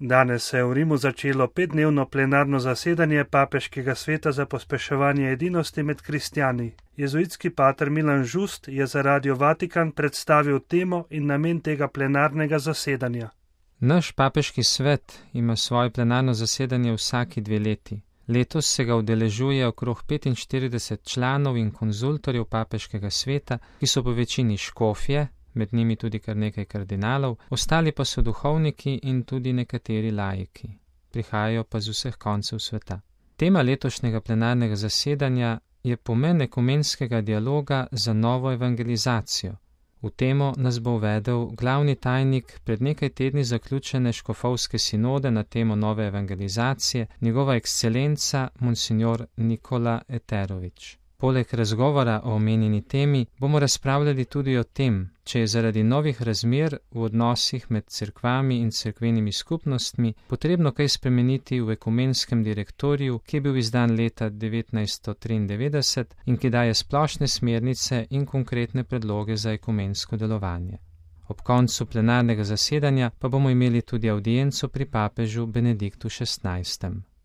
Danes se je v Rimu začelo 5-dnevno plenarno zasedanje Papeškega sveta za pospeševanje edinosti med kristjani. Jezuitski pater Milan Žust je za Radio Vatikan predstavil temo in namen tega plenarnega zasedanja. Naš papeški svet ima svoje plenarno zasedanje vsaki 2 leti. Letos se ga udeležuje okrog 45 članov in konzultorjev papeškega sveta, ki so po večini škofje, med njimi tudi kar nekaj kardinalov, ostali pa so duhovniki in tudi nekateri laiki. Prihajajo pa z vseh koncev sveta. Tema letošnjega plenarnega zasedanja je pomen ekumenskega dialoga za novo evangelizacijo. V temo nas bo uvedel glavni tajnik pred nekaj tedni zaključene škofovske sinode na temo nove evangelizacije, njegova ekscelenca monsignor Nikola Eterović. Poleg razgovora o omenjeni temi bomo razpravljali tudi o tem, če je zaradi novih razmer v odnosih med cerkvami in cerkvenimi skupnostmi potrebno kaj spremeniti v ekumenskem direktoriju, ki je bil izdan leta 1993 in ki daje splošne smernice in konkretne predloge za ekumensko delovanje. Ob koncu plenarnega zasedanja pa bomo imeli tudi avdienco pri papežu Benediktu XVI.